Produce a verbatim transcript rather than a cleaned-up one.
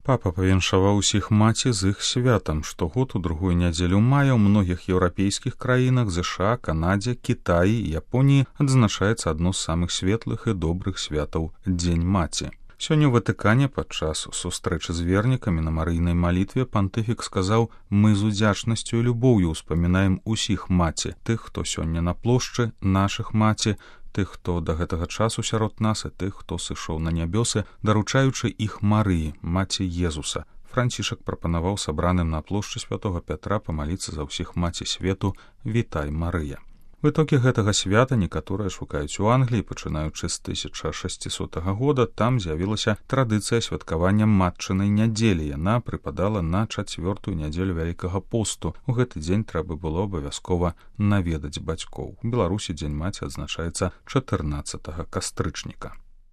Папа павіншаваў усіх маці з іх святам. Штогод у другую нядзелю мая ў многіх еўрапейскіх краінах, ЗША, Канадзе, Кітаі і Японіі адзначаецца адно з самых светлых і добрых святаў Дзень маці. Сёння ў Ватыкане падчас сустрэчы з вернікамі на марыйнай малітве пантыфік сказаў: «Мы з удзячнасцю і любоўю ўспамінаем усіх маці, тых, хто сёння на плошчы, нашых маці, тых, хто да гэтага часу сярод нас і тых, хто сышоў на нябёсы, даручаючы іх Марыі, маці Езуса». Францішак прапанаваў сабраным на плошчы святога Пятра памаліцца за ўсіх маці свету «Вітай, Марыя». В итоге гэтага свята некаторыя шукаюць у Англіі, пачынаючы з тысяча шасцісотага года. Там з'явілася традыцыя святкавання матчынай нядзелі. Яна прыпадала на чацвёртую нядзелю Вялікага посту. У гэты дзень трэба было абавязкова наведаць бацькоў. У Беларусі Дзень маці адзначаецца чатырнаццатага кастрычніка.